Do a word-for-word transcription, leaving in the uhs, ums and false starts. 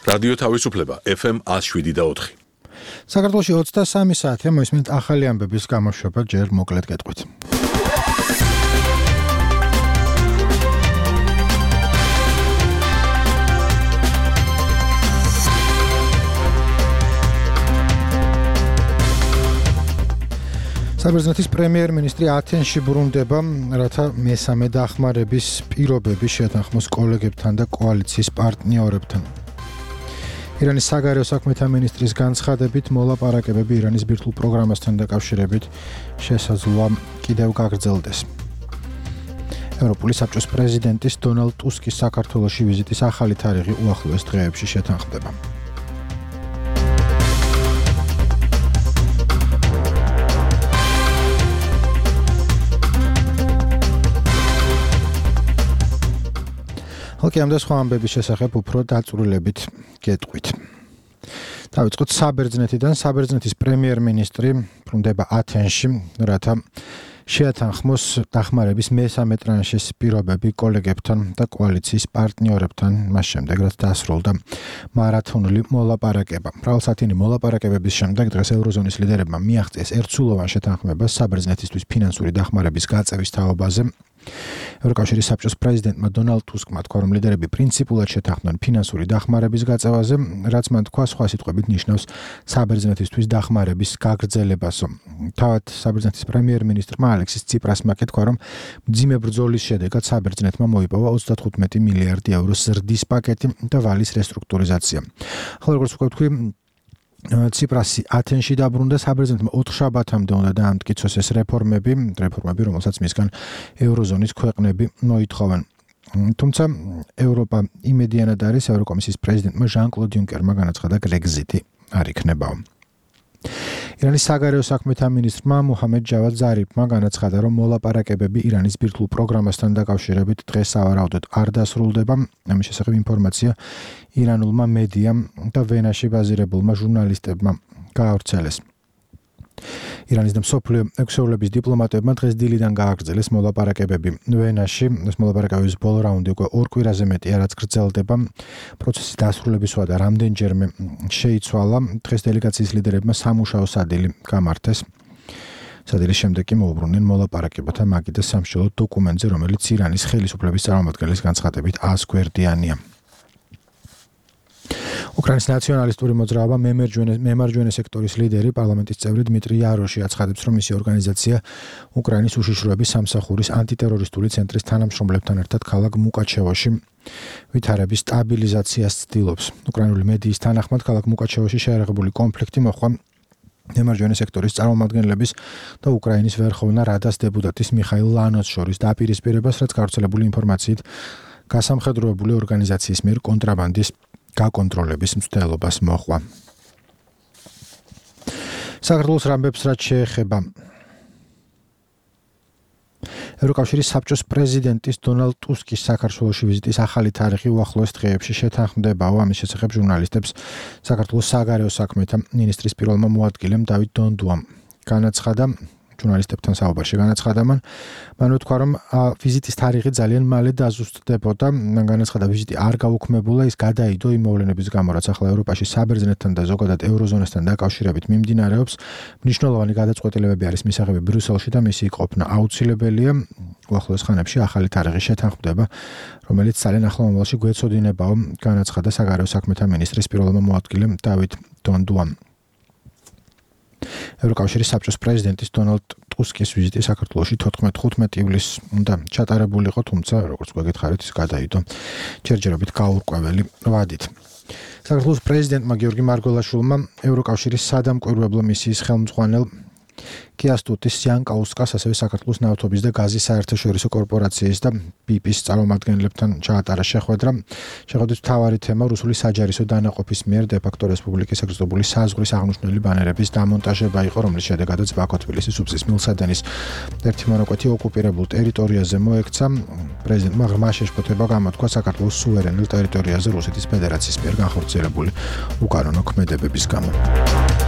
რადიო თავისუფლება ეფ ემ one oh seven და four. საქართველოში ოცდასამი საათია მოისმენთ ახალი ამბების გამოშვება ჯერ მოკლედ გეტყვით. საბერძნეთის პრემიერ-მინისტრი ათენში ბრუნდება, რათა მესამე დახმარების პირობები შეეთანხმოს კოლეგებთან და კოალიციის პარტნიორებთან. ირანის საგარეო საქმეთა მინისტრის განცხადებით, მოლაპარაკებები ირანის ბირთვულ პროგრამასთან დაკავშირებით შესაძლოა კიდევ გაგრძელდეს. ევროპული საბჭოს პრეზიდენტის დონალდ ტუსკის საქართველოში ვიზიტის ახალი თარიღი უახლოეს დღეებში შეთანხმდება. ხალხი ამ და სხვა ამბების შესახებ უფრო დაწვრილებით გეტყვით. დავიწყოთ საბერძნეთიდან. საბერძნეთის პრემიერ-მინისტრი ბრუნდება ათენში, რათა შეათანხმოს დახმარების მესამე ტრანშის პირობები კოლეგებთან და კოალიციის პარტნიორებთან, მას შემდეგ რაც დასრულდა მარათონული მოლაპარაკება. მრავალსათიანი მოლაპარაკებების შემდეგ დღეს ევროზონის ლიდერებმა მიაღწიეს ერთსულოვან შეთანხმებას საბერძნეთისთვის ფინანსური დახმარების გაწევის თაობაზე. ევროკავშირის საბჭოს პრეზიდენტმა დონალდ ტუსკმა თქვა, რომ ლიდერები პრინციპულად შეთანხმდნენ ფინანსური დახმარების გაწევაზე, რაც მან თქვა სხვა სიტყვებით ნიშნავს საბერძნეთისთვის დახმარების გაგრძელებასო. თავად საბერძნეთის პრემიერ-მინისტრმა ალექსის ციპრასმა თქვა, რომ მძიმე ბრძოლის შედეგად საბერძნეთმა მოიპოვა ოცდათხუთმეტი მილიარდი ევროს ზრდის პაკეტი და ვალის რესტრუქტურიზაცია. ახლა როგორც ვთქვი, ციპრასი ათენში დაბრუნდა, საბერძნეთმა ოთხშაბათამდე უნდა დაამტკიცოს ეს რეფორმები, რეფორმები, რომელსაც მისგან ევროზონის ქვეყნები მოითხოვენ. თუმცა ევროპა იმედიანად არის, ევროკომისიის პრეზიდენტმა ჟან-კლოდ იუნკერმა განაცხადა, გრეგზიტი არ იქნებაო. ირანის საგარეო საქმეთა მინისტრმა მუჰამედ ჯავად ზარიფმა განაცხადა, რომ მოლაპარაკებები ირანის ბირთვულ პროგრამასთან დაკავშირებით დღეს სავარაუდოდ არ დასრულდება. ამის შესახებ ინფორმაცია ირანულმა მედიამ და ვენაში ბაზირებულმა ჟურნალისტებმა გაავრცელეს. ირანის და მსოფლიო ექვსეულების დიპლომატებმა დღეს დილიდან გააგრძელეს მოლაპარაკებები ვენაში. ეს მოლაპარაკებების ბოლო რაუნდი უკვე ორ კვირაზე მეტია, რაც გრძელდება. პროცესის დასრულების ვადა რამდენჯერმე შეიცვალა. დღეს დელეგაციის ლიდერებმა სამუშაო სადილი გამართეს. სადილის შემდეგ კი მოუბრუნდნენ მოლაპარაკებათა მაგიდას სამშობლო დოკუმენტზე, რომელიც ირანის ხელისუფლების წარმომადგენლის განცხადებით ას გვერდიანია. უკრაინის ნაციონალისტური მოძრაობა მემარჯვენე სექტორის ლიდერი, პარლამენტის წევრი დმიტრი იაროში აცხადებს, რომ მისი ორგანიზაცია უკრაინის უშიშროების სამსახურის ანტიტერორისტული ცენტრის თანამშრომლებთან ერთად ქალაქ მუკაჩევოში ვითარების სტაბილიზაციას ცდილობს. უკრაინული მედიის თანახმად, ქალაქ მუკაჩევოში შეერაღებული კონფლიქტი მოჰყვა მემარჯვენე სექტორის წარმომადგენლების და უკრაინის ვერხოვნა რადას დეპუტატის მიხაილ ლანოს შორის დაპირისპირებას, რაც გავრცელებული ინფორმაციით გასამხედროებული ორგანიზაციის მიერ კონტრაბანდის გაკონტროლების მცდელობას მოჰყვა. საქართველოს რამბებს რაც შეეხება ევროკავშირის საბჭოს პრეზიდენტის დონალდ ტუსკის საქართველოში ვიზიტის ახალი თარიღი უახლოეს დღეებში შეთანხმდებაო. ამის შესახებ ჟურნალისტებს საქართველოს საგარეო საქმეთა მინისტრის პირველმა მოადგილემ დავით დონდუამ განაცხადა, ჟურნალისტებთან საუბარში განაცხადა მან, მან თქვა, რომ ვიზიტის თარიღი ძალიან მალე დაზუსტდებოდა. მან განაცხადა, ვიზიტი არ გაუქმებულა, ის გადაიდო იმ მოვლენების გამო, რაც ახლა ევროპაში საბერძნეთთან და ზოგადად ევროზონასთან დაკავშირებით მიმდინარეობს. მნიშვნელოვანი გადაწყვეტილებები არის მისაღები ბრიუსელში და მისი ყოფნა აუცილებელია. უახლოეს ხანებში ახალი თარიღი შეთანხმდება, რომელიც ძალიან ახლო მომავალში გვეცოდინებაო, განაცხადა საგარეო საქმეთა მინისტრის პირველმა მოადგილემ დავით დონდუამ. ევროკავშირის საბჭოს პრეზიდენტის დონალდ ტუსკის ვიზიტი საქართველოში თოთხმეტ ივლისს უნდა ჩატარებულიყო, თუმცა როგორც გვეკითხარით, ის გადაიდო ჯერჯერობით გაურკვეველი ვადით. საქართველოს პრეზიდენტმა გიორგი მარგველაშვილმა ევროკავშირის სადამკვირვებლო მისიის ხელმძღვანელ კიასტუტის იანკაუსკას, ასევე საქართველოს ნავთობის და გაზის საერთაშორისო კორპორაციის და ბიპის წარმომადგენლებთან ჩაატარა შეხვედრა. შეხვედრის მთავარი თემა რუსული საჯარისო დანაყოფის მიერ დე-ფაქტო რესპუბლიკის ეგზოტებული საზღვრის აღნიშნული ბანერების დამონტაჟება იყო, რომლის შედეგადაც ბაქო-თბილისის უბსის მილსადენის ერთი მონაკვეთი ოკუპირებულ ტერიტორიაზე მოექცა. პრეზიდენტმა ღრმა შეშფოთება გამოთქვა საქართველოს სუვერენულ ტერიტორიაზე რუსეთის ფედერაციის მიერ განხორციელებული უკანონო ქმედებების გამო.